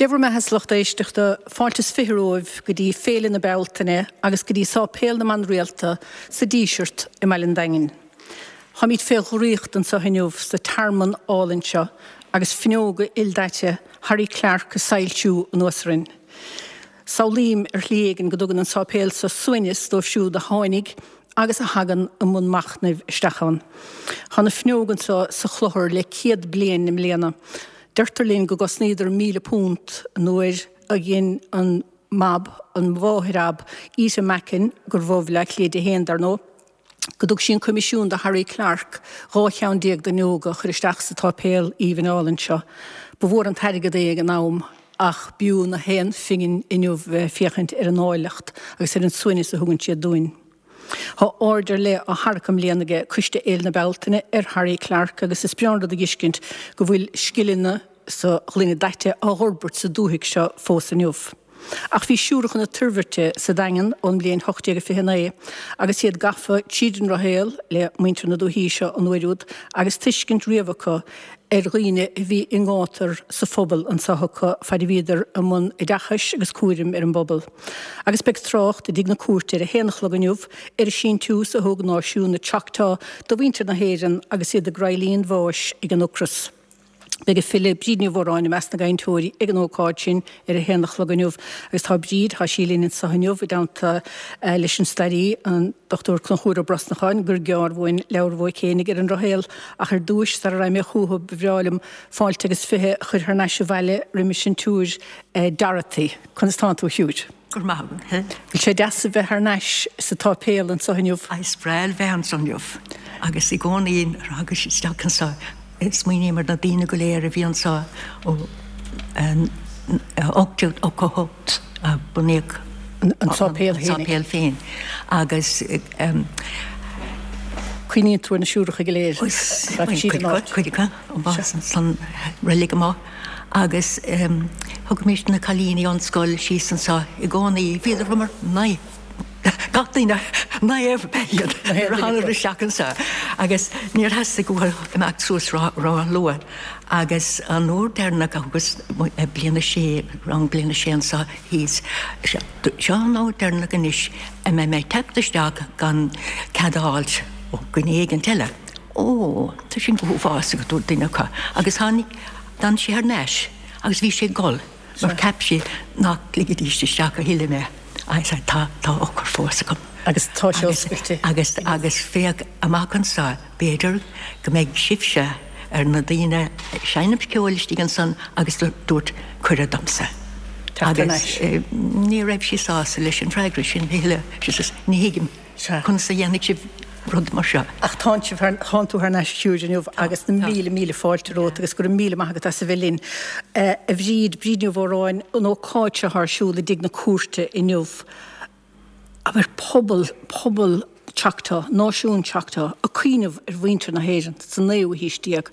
Dé bhur mbeatha a lucht éisteachta, fáilte is 20 romhaibh go dtí Féile na Bealtaine agus go dtí Sáipéal na mBan Rialta sa Díseart i mBaile an Daingin. Táimid fé dhraíocht anseo inniu sa tearmann álainn seo agus fuinneoga ildaite Harry Clarke ag soilsiú anuas orainn. Samhlaím ar shlí éigin go dtugann an sáipéal seo suaimhneas dóibh siúd a tháinig agus a thagann i mbun machnaimh isteach ann. Tá na fuinneoga anseo sa chlochar le 100 bliain i mbliana. Deirtear linn go gcosnaíodar £1,000 nuair a dhein an mab, an mháthair ab Ita Mackin, gur bho Bhaile Átha Cliath di féin, dar ndóigh, go dtug sí an coimisiún do Harry Clarke 12 cheann d'fhuinneoga a chur isteach sa tsáipéal aoibhinn álainn seo. Ba mhór an t-airgead é ag an am ach b'fhiú na haon phingin inniu bheith ag féachaint ar an áilleacht agus ar an suaimhneas a thugann siad dúinn. Tá aird ar leith á tharrac i mbliana aige Coiste Fhéile na Bealtaine ar Harry Clarke agus is breá an rud a dh'fheiscint go bhfuil scileanna sa ghloine daite á dh'fhorbairt sa dúthaigh seo fós inniu. Ach bhí Siúracha na Toirbhirte sa Daingean ón mbliain 1829 agus iad gafa tríd an ndrochshaol le muintir na dúichí seo an uair úd agus tuiscint riamh acu ar dhaoine a bhí i ngátar sa phobal anseo acu faid a bhíodar i mbun oideachais agus cúraim ar an bpobal. Agus beidh trácht i dTigh na Cúirte ar a haon a chlog inniu ar an síntiús a thug náisiún na Choctaw do mhuintir na hÉireann agus iad ag reilig an bháis ag an ocras. Beidh an file Bríd Ní Mhóráin i measc na gcainteoirí ag an ócáid sin ar a haon a chlog inniu. Agus tá Bríd, tá sí linn anseo inniu i dteannta leis an stairí, an Dr Conchúr Ó Brosnacháin, gur gearr uainn leabhar Mhaidhc Éinigh ar an ndrochshaol. Ach ar dtúis, sara raghaidh mé chucu, ba bhreá liom fáilte agus 20 a chur thar n-ais abhaile roimis an tSiúr Dorothy. Conas tánn tú, a Shiúr? Go raibh maith agat. Bhfuil sé deas a bheith thar n-ais sa tsáipéal anseo inniu? Is breá a bheith anseo inniu agus i gcónaí nuair a thagaim isteach anseo smaoiním ar na daoine go léir a bhí anseo ó 1888 a bunaíodh an sáipéal féin agus Cuimhníonn tú ar na siúracha go léir. Cuid acu san reilig amuigh. Agus thugaimis na cailíní ón scoil síos anseo i gcónaí. Bhíodar mar naomh, gach duine, naomh ab ea iad nuair a thánadar isteach anseo. Agus níor theastaigh uathu imeacht suas ró-luath. Agus an uair deireanach a thugas bliain a sé, rang bliain a sé anseo thíos, seo an uair deireanach anois a mbeidh mé ag teacht isteach gan cead a fháilt ó dhuine éigint eile. Ó, tá sin go huafásach, a dúirt duine acu. Agus tháinig, d'fhan sé thar n-ais agus bhí sé ag gol mar cheap sé nach ligfidís isteach a thuilleadh mé. I said, tá, tá eochair fós agam. Agus tá sé oscailte. Agus, agus féach amach anseo, b'fhéidir go mbeidh sibhse ar na daoine ag seinm ceoil istigh ansan agus dúirt cuireadh domsa. Teacht thar n-ais. Agus ní raibh sí sásta leis an bhfreagra sin a thuilleadh. She says, ní thuigim. Sea. Conas a dhéanfaidh sibh rud mar seo? Ach tánn sibh thar, tánn tú thar n-ais a Shiúir inniu agus na míle míle fáilte romhat agus go raibh míle maith agat as a bheith linn. A Bhríd, Bríd Ní Mhóráin, an ócáid seo ar siúl i dTigh na Cúirte inniu, abair pobal, pobal Choctaw, náisiún Choctaw, ag cuimhneamh ar mhuintir na hÉireann sa naoú haois déag.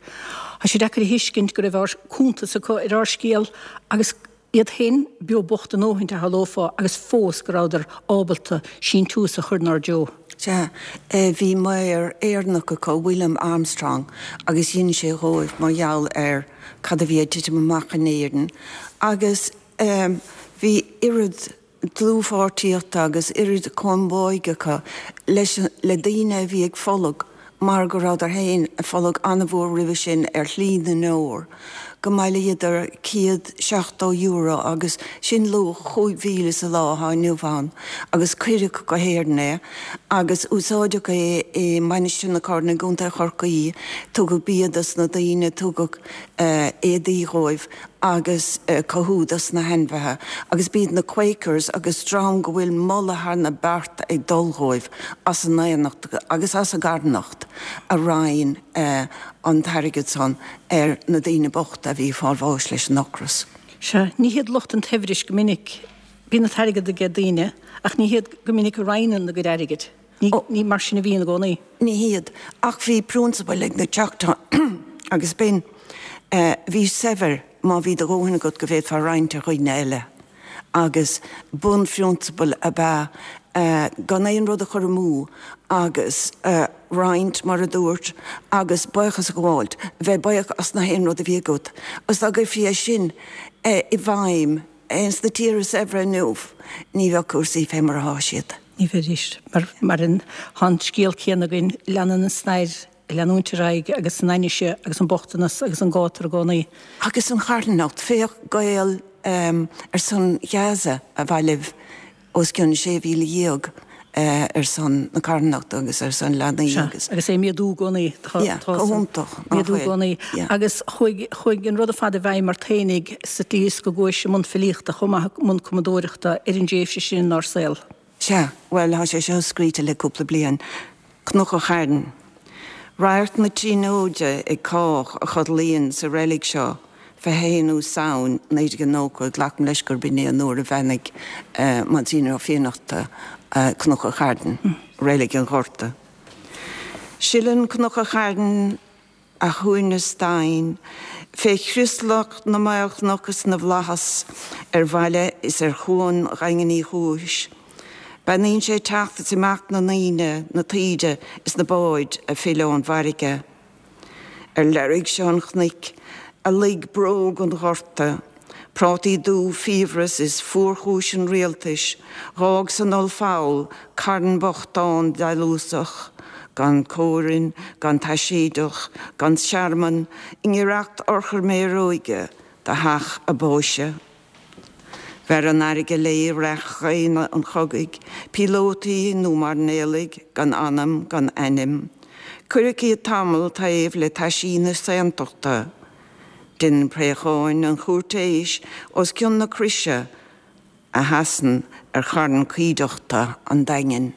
Tá sé deacair a thuiscint go raibh ár, cuntas acu ar ár scéal agus, Iad féin beo bocht a ndóthaint a shamhlófá agus fós go rabhadar ábalta síntiús a chur 'nár dtreo. Sea, bhí maor Éireannach acu, William Armstrong, agus dhein sé dhóibh mar gheall ar cad a bhí ag titim amach in Éirinn agus bhí oiread dlúthpháirtíochta agus oiread comhbháidh acu leis le daoine a bhí ag fulag mar go rabhadar féin ag fulag an-mhór roimhe sin ar shlí na ndeor, go mbailíodar €170 agus sin luach 5,000 sa lá atá inniu ann agus cuireadh go hÉirinn é agus úsáideadh é i Mainistir na Corann i gContae Chorcaí, tugadh bia dos na daoine, tugadh éadaí dhóibh agus cothú dos na hainmhithe agus b'iad na Quakers agus dream go bhfuil moladh thar na bearta ag dul dhóibh as a ndaonnacht agus as a gcarthanacht a roinn an t-airgead san ar na daoine bochta a bhí ag fáil bháis leis an ocras. Sea, ní hiad lucht an tsaibhris go minic, bíonn an t-airgead aige daoine ach ní hiad go minic a roinneann a gcuid airgid. Ní mar sin a bhíonn i gcónaí. Ní hiad. Ach bhí prionsabal ag na Choctaw agus b'in, bhí saibhir má bhí do dhóthain agat go bhféadfá roinnt ar dhaoine eile. Agus bunphrionsabal ab ea gan aon rud a chur amú agus roinnt, mar a dúirt, agus buíochas a ghabháilt, bheith buíoch as na haon rud a bhí agat. Agus dá gcuirfí é sin. i bhfeidhm ins na tíortha saibhre inniu, ní bheadh cúrsaí fé mar athá siad. Ní bheidís. Mar an, tá an scéal céanna againn, leanann an stair ag leanúint ar aghaidh agus an ainnise agus an bochtanas agus an gátar i gcónaí. Agus an charthanacht, féach Gael ar son Ghaza a bhailigh os cionn 16,000 ar son na carthanachta agus ar son leanaí agus. Sea, agus é ag méadú i gcónaí. Tá, Yeah, go hiontach, nach méadú i gcónaí. Yeah. Agus chuaigh, chuaigh an rud ar fad i bhfeidhm ort fhéinig sa tslí is go gcuais i mbun filíochta chomh maith, i mbun cumadóireachta ar an dtréimhse sin inár saol. Sea, bhuel, tá sé seo scríte le cúpla bliain. Cnoc an Chairn. Radharc na Tríonóide ag cách a chodlaíonn sa reilig seo, 21ú Samhain 1990, glacaim leis gurb in é an uair a bheannaigh Monsignor Ó Fiannachta Cnoc an Chairn, Reilig an Ghorta. Sileann Cnoc an Chairn a shuaimhneas domhain, fé chrioslach na maolchnoc is na bhflaitheas ar bhaile is ar chuan Dhaingean Uí Chúis. Beannaíonn sé teacht is imeacht na ndaoine, na taoide is na báid a phill ón bhfarraige. Ar leirg seo an chnoic, a luigh bróg an Ghorta, prátaí dubh fiabhras is fuarchúis an rialtais, dh'fhág san ollpholl carn bochtán dealúsach, gan comhroinn, gan taiséideach, gan tearmann, i ngiorracht urchar méaróige do theach a báise. Bheir an fharraige léi reacht dhaonna an chogaidh, píolótaí nó mairnéalaigh gan anam gan ainm. Cuireadh iad tamall taobh le taisí na saontachta. Déanann préacháin an chúirtéis os cionn na croise a sheasann ar charn coimhdeachta an Daingin.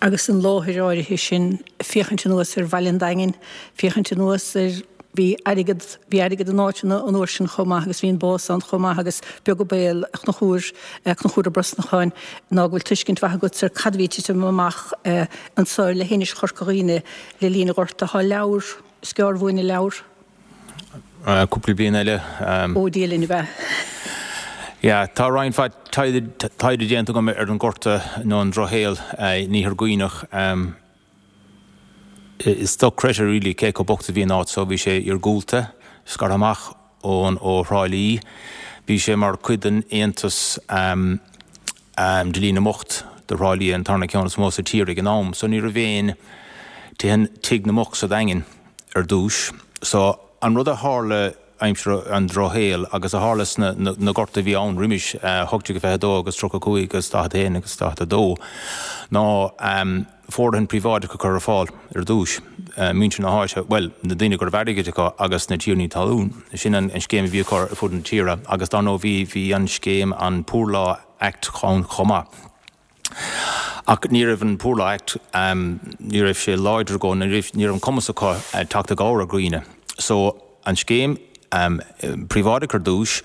Agus an láthair áirithe sin, féachaint anuas ar bhaile an Daingin, féachaint anuas ar, bhí airgead, bhí airgead in áiteanna an uair sin chomh maith agus bhí an bás ann chomh maith agus beag an baol, a Chonchúir, a Chonchúir Ó Brosnacháin, ná go bhfuil tuiscint mhaith agat ar cad a bhí ag titim amach anso le hInis Chorca Dhuibhne le linn an Ghorta. Tá leabhar, is gearr uainn an leabhar. Cúpla bliain eile. Ó Dia linn ab ea? Yeah, tá roinnt mhaith taighde déanta agam ar an Ghorta nó an Drochshaol in Iarthar Dhuibhneach. Is dochreidte really cé chomh bocht is a bhí an áit so. Bhí sé iargúlta, scartha amach ón ó Thrá Lí. Bhí sé mar chuid den aontas Dlí na mBocht do Thrá Lí, an tarna ceann is mó sa tír ag an am. So ní raibh aon tigh na mbocht sa Daingean ar dtúis. So an rud a tharla aimsir an Drochshaoil agus a tharla sna na gorta a bhí ann roimis, 1822 agus 35 agus 41 agus 42, ná fóirdheoin príobháideach a chur ar fáil ar dtúis, muintir na háite, bhuel, na daoine go raibh airgead acu agus na tiarnaí talún. Sin an scéim a bhí acu ar fud na tíre agus dar ndóigh bhí bhí an scéim an Poor Law Act ann chomh maith. Ach ní raibh an Poor Law Act, ní raibh sé láidir go, ní raibh ní raibh an cumas acu teacht i gcabhair ar dhaoine. So an scéim príobháideach ar dtúis,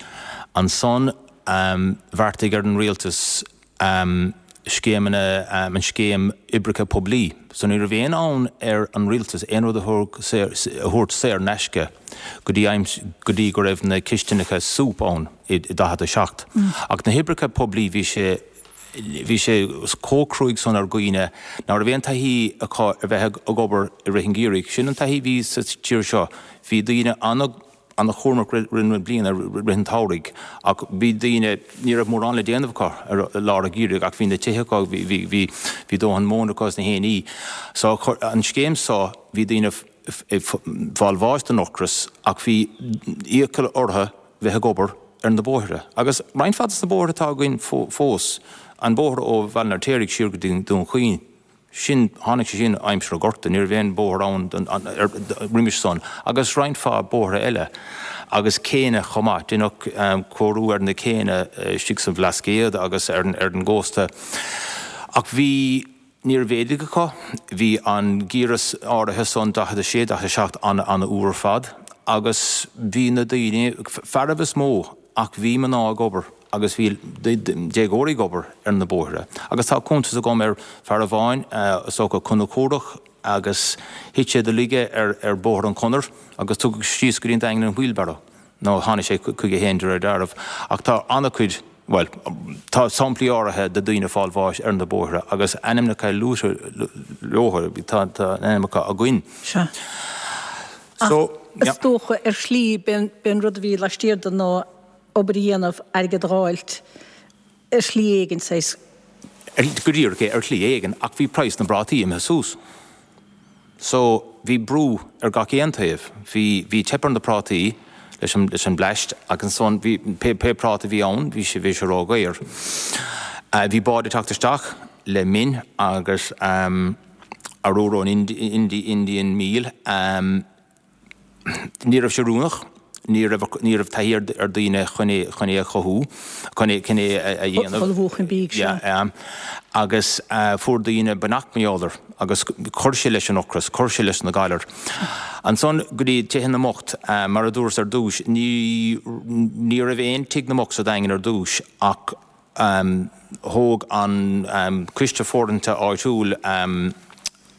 ansan bheartaigh ar an rialtas scéimeanna, an scéim oibreacha poiblí. So ní raibh aon fhonn ar an rialtas aon rud a thabhairt saor in aisce go dtí go dtí go raibh na cistineacha súp ann i 47. Ach na hoibreacha poiblí bhí sé bhí sé chomh cruaidh san ar dhaoine ná raibh aon taithí acu ar bheith ag obair i rith an gheimhridh. Sin an taithí a bhí sa tír seo. Bhí daoine ana ana-chúramach rith na bliana, rith an tsamhraidh, ach bhí daoine, ní raibh mórán le déanamh acu i lár an gheimhridh ach bhí na tithe acu, bhí, bhí, bhí, bhí dóthain móna acu is na haon ní. So an scéim so, bhí daoine ag fáil bháis den ocras ach bhí iachall orthu bheith ag obair ar na bóithre. Agus roinnt mhaith des na bóithre atá againn fós, an bóthar ó Bhaile an Fheirtéaraigh siar go dtí Dún Chaoin, sin, tháinig sé sin aimsir an Ghorta, ní raibh aon bhóthar ann roimis san, agus roinnt mhaith bóithre eile, agus céanna chomh maith, deineadh cóiriú ar na céanna istigh sa Bhlascaod agus ar an gcósta. Ach bhí, ní raibh éadaigh acu, bhí an geimhreadh áirithe san, 46, 47, an-fhuar ar fad, agus bhí na daoine, fearaibh is mó, ach bhí mná ag obair. agus bhí déagóirí ag obair ar na bóithre. Agus tá cuntas agam ar fear amháin, is dócha Conchúrach, agus thit sé de laige ar ar Bhóthar an Chonair agus tugadh síos go dtí an Daingean in wheelbarrow, nó tháinig sé chuige féin de réir dealraimh. Ach tá an-chuid, bhuel, tá samplaí áirithe de daoine ag fáil bháis ar na bóithre agus ainmneacha luaite leo, tá ainmneacha againn. Sea. Ach is dócha, ar shlí, b'é an rud a bhí laistiar de ná obair a dhéanamh, airgead a dh'fháilt, ar shlí éigin, saghas. Go díreach é, ar shlí éigin, ach bhí praghas na bprátaí imithe suas. So, bhí brú ar gach aon taobh. Bhí, bhí teip ar na prátaí leis an, leis an bpleist agus ansan bhí, pé, pé práta a bhí ann, bhí sé, bhí sé ródhaor. Bhí báid ag teacht isteach le min agus arúr ón Indi, Indian meal. Ní raibh sé oiriúnach, ní raibh, ní raibh taithí ar, ar daoine chun é, chun é a chothú, chun é, chun é a, a dhéanamh. Ullmhú an bídh seo. Yeah, agus fuair daoine beannacht mar gheall air agus chuir sé leis an ocras, chuir sé leis na galair. Ansan go dtí tithe na mbocht, mar a dúras ar dtús, ní, ní raibh aon tigh na mbocht sa Daingean ar dtús ach thóg an coiste fóirithinte áitiúil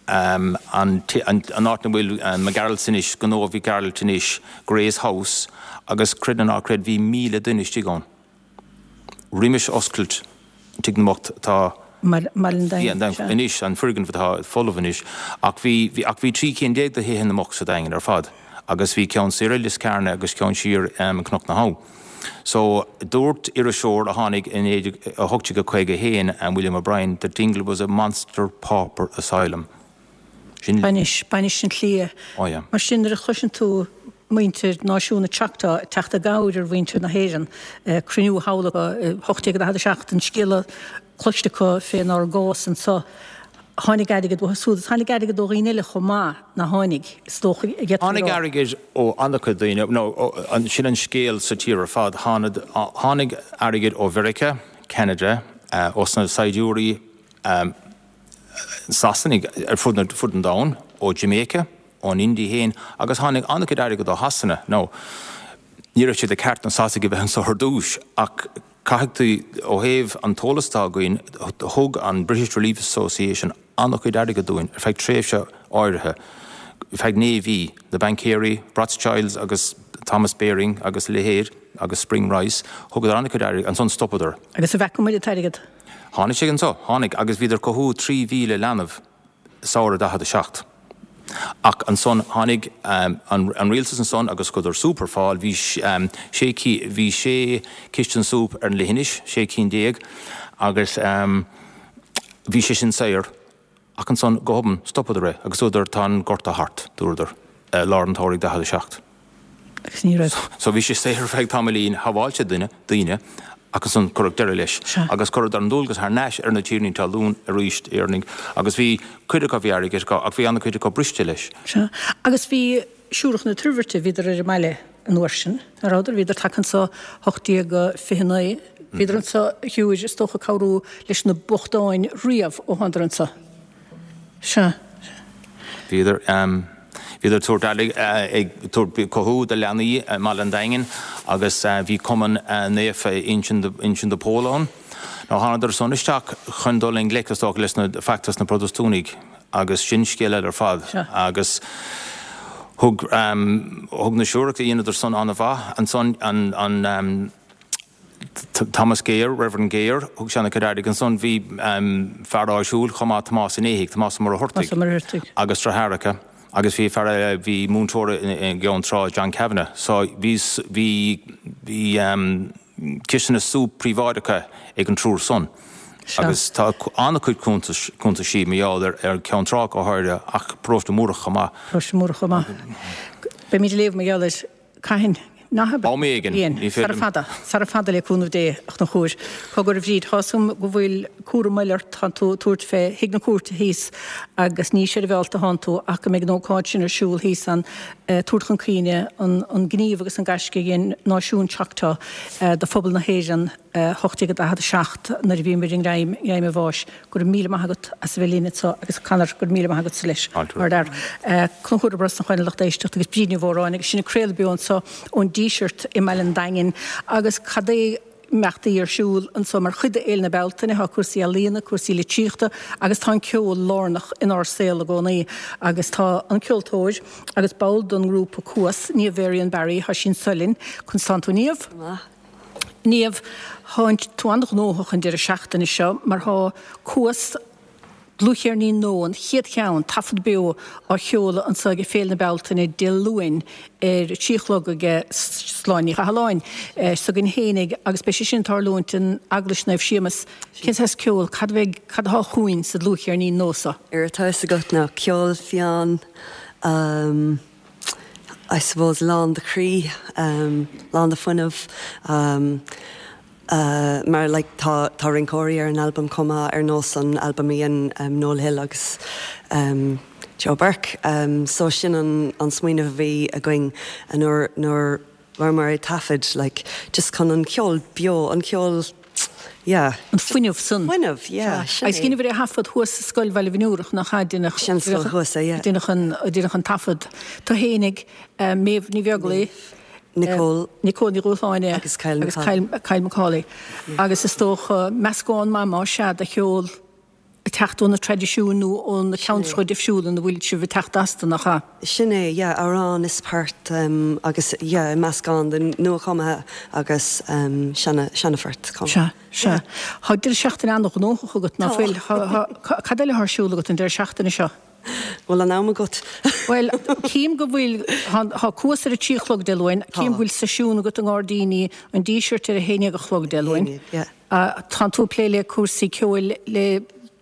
an áit ina bhfuil McGarrelts anois, gnó Mhic Gearailt anois, Gray's House, agus creid nó ná creid bhí 1,000 duine istigh ann. Roimis oscailt Tigh na mBocht atá anois, an foirgneamh atá folamh anois, ach bhí ach bhí 13 cinn de thithe na mbocht sa Daingean ar fad agus bhí ceann soir i Lios Cearna agus ceann siar i Cnoc na hAbha. So, dúirt iriseoir a tháinig in 1851, William O'Brien, that Dingle was a monster pauper asylum. Sin. Bainis, bainis an tslí. Oh yeah. Mar sin, nuair a chloiseann tú muintir náisiún na Choctaw ag teacht i gcabhair ar mhuintir na hÉireann, cruinniú thall acu i 1847, an scéala cloiste acu fénár gcás anso, tháinig airgead uathu siúd agus tháinig airgead ó dhaoine eile chomh maith, nach tháinig, is dócha, a d'fhéadfaí a rá. Tháinig airgead ó an-chuid daoine, nó sin an scéal sa tír ar fad, tháinig airgead ó Mheiriceá, Ceanada, ós na saighdiúirí Sasanaigh ar fud an domhain, ó Jamaica, ón India féin agus tháinig an-chuid airgead ó Shasana. Now, ní raibh sé de cheart na Sasanaigh a bheith anso ar dtús ach caithfidh tú, ó thaobh an t-eolas atá againn, thug an British Relief Association an-chuid airgead dúinn ar feadh tréimhse áirithe, ar feadh naoi mhí, na baincéirí, Rothschilds agus Thomas Baring agus a leithéid agus Spring Rice, thugadar an-chuid airgid, ansan stopadar. Agus an bhfeaca muid an t-airgead? Tháinig sé anso, tháinig, agus bhíodar ag cothú 3,000 leanbh samhradh 47. Ach ansan tháinig an rialtas ansan agus chuireadar súp ar fáil, bhí sé, bhí sé chistin súp ar an leithinis, 16 cinn, agus bhí sé sin saor. Ach ansan go hobann stopadar é agus dúradar tá an gorta thart, dúradar, i lár an tsamhraidh 47. Agus ní raibh. So bhí sé saor ar feadh tamaillín, shábháil sé duine, daoine, ach ansan cuireadh deireadh leis. Sea. Agus chuireadar an dualgas thar n-ais ar na tiarnaí talún arís, Éireannaigh, agus bhí cuid acu, bhí airgead acu, ach bhí an-chuid acu briste leis. Sea. Agus bhí Siúracha na Toirbhirte, bhíodar ar an mbaile an uair sin, nach rabhadar? Bhíodar tagtha anso 1829. Bhíodar anso, a shiúir, is dócha, ag cabhrú leis na bochtáin riamh ó thánadar anso. Sea. Bhíodar, bhíodar ag tabhairt airgid, ag tabhairt cothú do leanaí i mBaile an Daingin agus bhí Cumann Naofa Uinseann de Pól ann. Now thánadar san isteach chun dul i ngleic, is dócha, leis na feachtas na Protastúnaigh agus sin scéal eile ar fad. Agus thug, thug na Siúracha, dheineadar san an-mhaith. Ansan an, an, Thomas Gayer, Reverend Gayer, thug sé an-chuid airgid. Ansan bhí fear áitiúil chomh maith, Tomás an Éithigh, Tomás Ó Muircheartaigh, agus deartháireacha. Agus bhí fear eile, bhí múinteoir i gCeann Trá, John Kavanagh. So bhí, bhí, bhí cisteanna súp príobháideacha ag an triúr san. Agus tá an-chuid cuntais, cuntaisí mar gheall ar, ar Cheann Trá go háirithe ach Paróiste Múrach chomh maith. Paróiste Múrach chomh maith. Beimid ag léamh mar gheall air. Cathain? Nach ea? Am éigin. Ní féidir Sara fada. Sara fada le cúnamh Dé, a Chonchúir. Cogar a Bhríd, tá 'fhios agam go bhfuil cúram eile ort, tánn tú ag tabhairt fé thigh na cúirte thíos agus ní seirbheálta atánn tú ach go mbeidh an ócáid sin ar siúl thíos ann ag tabhairt chun cuimhne an gníomh agus an gaisce a dhein náisiún Choctaw do phobal na hÉireann 1847 nuair a bhíomar i ngreim an bháis. Go raibh míle maith agat as a bheith linn anseo agus Conor, go raibh míle maith agatsa leis. Fáilte. Conchúr Ó Brosnacháin a lucht éisteachta agus Bríd Ní Mhóráin agus sinn ag craoladh beo anseo ón Díseart i mBaile an Daingin agus cad é imeachtaí ar siúl anseo mar chuid de Fhéile na Bealtaine. Tá cúrsaí ealaíona, cúrsaí litríochta agus tá an ceol lárnach inár saol i gcónaí agus tá an ceoltóir agus ball don ngrúpa Cuas, Niamh Varian Barry, tá sí anseo linn. Conas tánn tú Niamh? Go maith. Niamh, Tá tú an-ghnóthach an deireadh seachtaine seo mar tá Cuas. Dlúthcheirnín nua, an chéad cheann, taifead beo á sheoladh anseo ag Féile na Bealtaine Dé Luain ar a 3 a chlog ag Sláine Ní Chathalláin s'againn fhéinig agus beidh sé sin ag tarlúint in Eaglais Naomh Séamus. Cén saghas ceol, cad a bheidh, cad atá chugainn sa dlúthcheirnín nua seo? Ar tá fhios agat ná ceol fiáin, I suppose lán de chroí, lán de fuinneamh. Mar like tá tá rinceoirí ar an albam chomh maith ar nós an albam a dhein Noel Hill agus Joe Burke. So sin an an smaoineamh a bhí againn nuair nuair rabhamar ag taifead like just chun an ceol beo an ceol yeah. An fuinneamh san. Fuinneamh yeah sin é. Agus dheineabhair é a thaifead thuas sa scoil Bhaile Bhinn nach ea? Deineadh Sin scoil thuas é yeah. Deineadh an deineadh an taifead. Tú fhéinig, Méabh Ní Bheaglaoi. Nicole. Nicole Ní Dhúshláine agus Kyle McCauley. Agus Kyle McCauley. Agus is dócha meascán maith más ea de cheol ag teacht ó na traidisiúin nó ó na ceantracha difriúla ina bhfuil sibh ag teacht astu, nach ea? Sin é, yeah, amhráin is poirt agus yeah, meascán de nuachumtha agus seana, seanaphoirt chomh maith. Sea, sea. Tá deireadh seachtaine an-ghnóthach agat, ná fuil? Cad eile atá ar siúl agat an deireadh seachtaine seo? Bhfuil an am agat? Bhuel, cím go bhfuil, tá Cuas ar a 3 a chlog Dé Luain, cím go bhfuil seisiún agat i nGairdíní an Dísirt ar a 11 a chlog Dé Luain. Tánn tú ag plé le cúrsaí ceoil le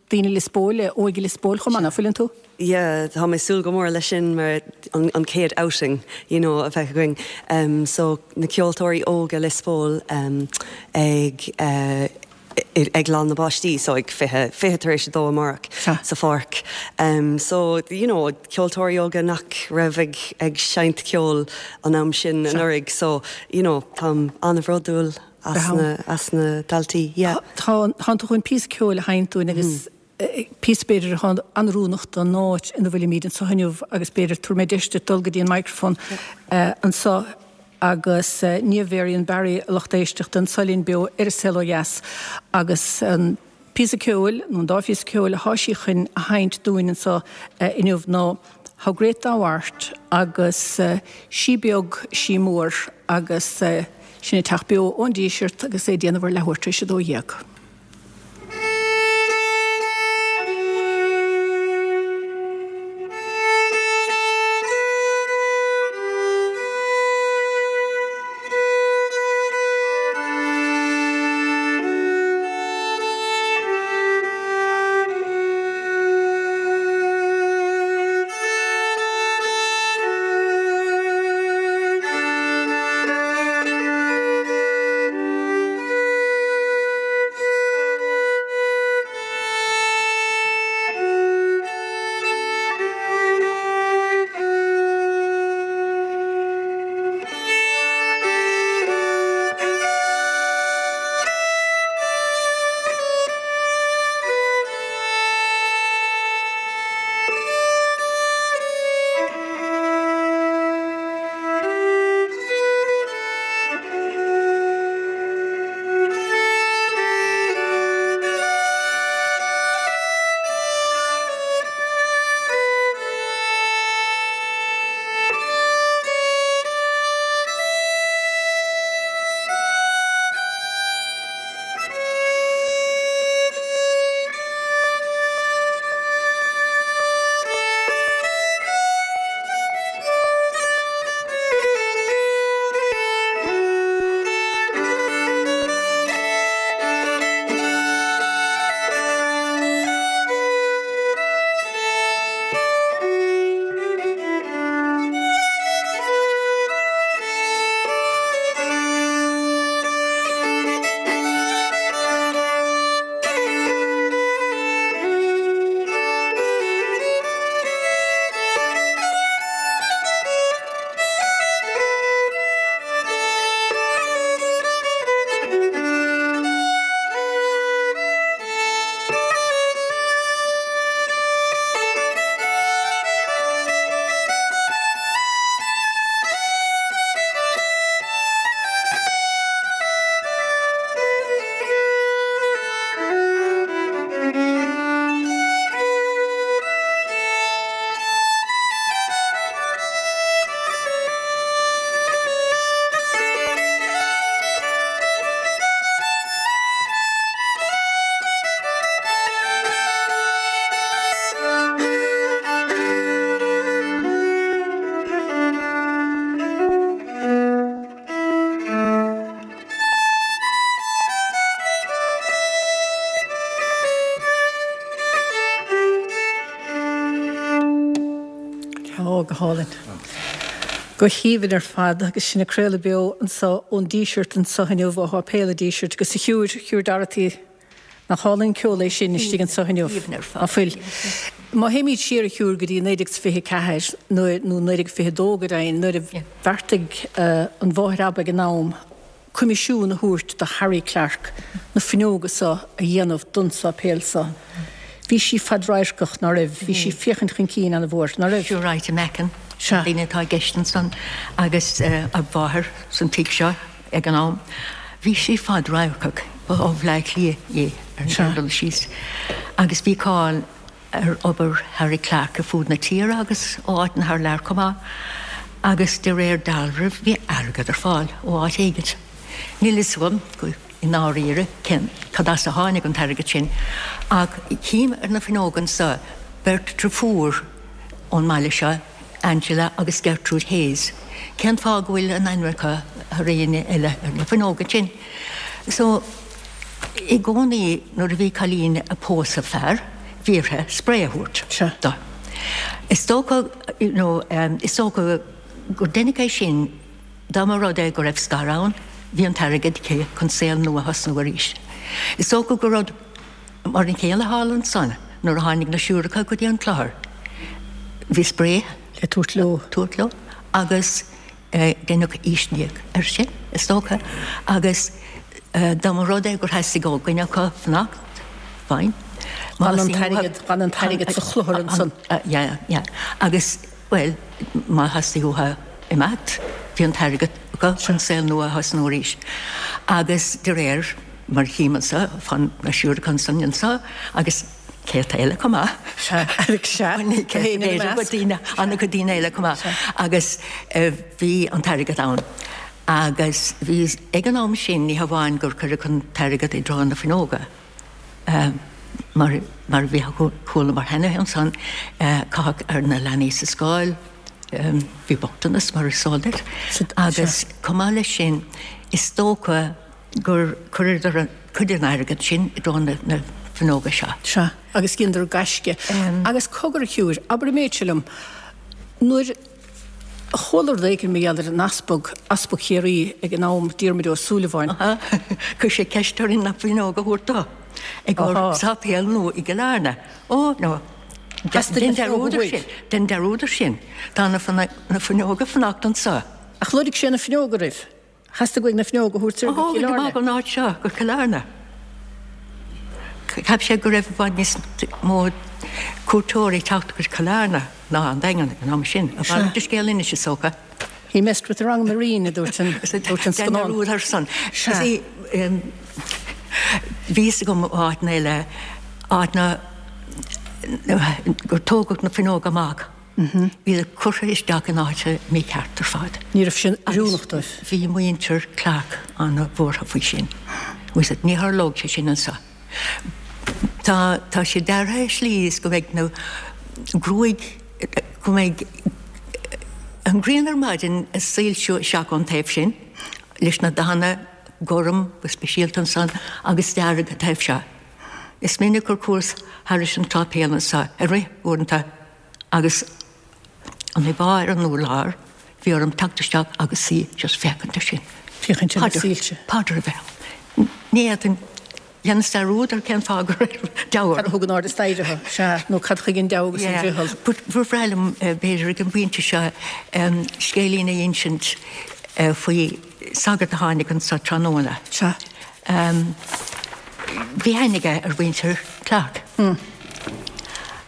daoine Lios Póil, le Óige Lios Póil chomh maith, ná fuileann tú? Yeah, tá mé ag súil go mór leis sin mar an chéad outing, you know, a bheith againn. So, na ceoltóirí óga Lios Póil ag eh, ag Lá na bPáistí so ag 20, 2:20 amárach sa pháirc. So, you know, ceoltóirí óga nach raibh ag, ag seinnt ceoil an am sin anuraidh so, you know, táim an-bhródúil as na, as na daltaí, yeah. Tá, tánn tú chun píosa ceoil a sheinnt dúinn agus píosa b'fhéidir atá an-oiriúnach don áit ina bhfuilimid anseo inniu agus b'fhéidir tabharfaidh mé deis duit dul go dtí an microphone anseo agus Niamh Varian Barry, a lucht éisteachta, anseo linn beo ar An Saol Ó Dheas agus an píosa ceoil, nó an dá phíosa ceoil atá sí chun a sheinnt dúinn anseo inniu ná How Great Thou Art agus Sí Beag, Sí Mór agus sin ag teacht beo ón Díseart agus é ag déanamh ar leathuair tar éis a 12. hálainn. Go haoibhinn ar fad agus sinn ag craoladh beo anso ón Díseart anso inniu, ó Sháipéal an Dísirt agus a Shiúir, Shiúr Dorothy, nach álainn an ceol é sin istigh anso inniu, ná fuil? Má théimid siar a Shiúr go dtí 1924 nuair, nó 1922 go deimhin, nuair a bheartaigh an Mháthair Aba ag an am, coimisiún a thabhairt do Harry Clarke na fuinneoga so a dhéanamh don sáipéal so. Bhí sí fadradharcach, ná raibh? Bhí sí ag féachaint chun cinn ana-mhór, ná raibh? Siúr Ita Macken, an duine atá i gceist ansan agus a mháthair san tigh seo ag an am. Bhí sí fadradharcach, ba ó Bhleá Cliath í ar an gcéad dul síos agus bhí cáil ar obair Harry Clarke ar fud na tíre agus ó áiteanna thar lear chomh maith, agus de réir dealraimh bhí airgead ar fáil ó áit éigint. Níl fhios agam i ndáiríre cén cad as a tháinig an t-airgead sin, ach tchím ar na fuinneoga anso beirt driofúr ón mbaile seo, Angela agus Gertrude Hayes. Cén fáth go bhfuil a n-ainmneacha thar éinne eile ar na fuinneoga sin? So. I gcónaí nuair a bhí cailín ag pósadh fear, bhí uirthi spré a thabhairt do. Is dócha, you know, is dócha gur deineadh é sin dá mba rud é go raibh scar ann, bhí an t-airgead aici chun saol nua a thosnú arís. Is dócha gur rud mar an chéanna thall ansan nuair a tháinig na siúracha go dtí an clochar, bhí spré le tabhairt leo. tabhairt leo agus. Deineadh aoisliac air sin, is dócha, agus dá mba rud é gur theastaigh ó dhuine acu fanacht, fine. D'fhan an t-airgead, d'fhan an t-airgead sa chlochar ansan. Yeah, yeah. Agus, bhuel, má theastaigh uathu imeacht, bhí an t-airgead acu chun saol nua a thosnú arís. Agus de réir mar a tchím anso, fán na siúracha ansan anso, agus céadta eile chomh maith. Sea, sea, ní céadta, b'fhéidir go daoine, an-chuid daoine eile chomh maith. Agus bhí an t-airgead ann. Agus bhí, ag an am sin, ní hamháin gur cuireadh an t-airgead i dtreo na fuinneoga, mar, mar a bhí, chualamar cheana ansan, caitheadh ar na leanaí sa scoil, bhí bochtanas mar is eol duit. Agus chomh maith leis sin, is dócha, gur chuireadar cuid den airgead sin i dtreo na fuinneoga seo. Sea, agus dheineadar gaisce. Agus cogar, a Shiúir, abair an méid seo liom, nuair a chuala rud éigin mar gheall ar an easpag, Easpag Chiarraí ag an am, Diarmuid Ó Súilleabháin. Chuir sé ceist orainn na fuinneoga a thabhairt dó i gcomhair sáipéal nua i gCill Airne. Ó, no. Theastaigh na fuinneoga uaidh. Dein dearúd ar sin. Tá na fuinneoga fanacht anseo. Ach lorg sé na fuinneoga oraibh. Theastaigh uaidh na fuinneoga a thabhairt soir go Cill Airne. Amach ón áit seo go Cill Airne. Cheap sé go raibh i bhfad níos mó cuairteoirí ag teacht go Cill Airne ná an Daingean ag an am sin. A mhalairt de scéal anois is dócha. He messed with the wrong Marine, a dúirt an scannán. Dein dearúd ar son. Bhí fhios agam ó áiteanna eile, áiteanna gur tógadh na fuinneoga amach. Bhíodar curtha isteach in áit mícheart ar fad. Ní raibh sin oiriúnach dóibh. Bhí muintir Clarke an-bhuartha faoi sin. Ní tharlódh sé sin anseo. Tá tá sé deartha i slí is go mbeidh na gruaig, go mbeidh an ghrian ar maidin ag soilsiú isteach ón taobh sin leis na dathanna gorm go speisialta ansan agus dearg an taobh seo. Is minic gur chuas thairis an tsáipéal anseo ag rith uaireanta agus an íomhá ar an urlár, bhí orm teacht isteach agus suí just féachaint air sin. Féachaint ar na soilse. Paidir a bheith ann. Ní fhéadfainn, dheineas dearúd ar cén fáth go raibh deabhadh. Cad a thug in airde staighre thú? Sea, nó cad chuige an deabhadh agus an friotal? But ba bhreá liom, b'fhéidir ag an bpointe seo, scéilín a insint faoi sagart a tháinig anso tráthnóna. Sea. Bhí aithne aige ar mhuintir Clarke.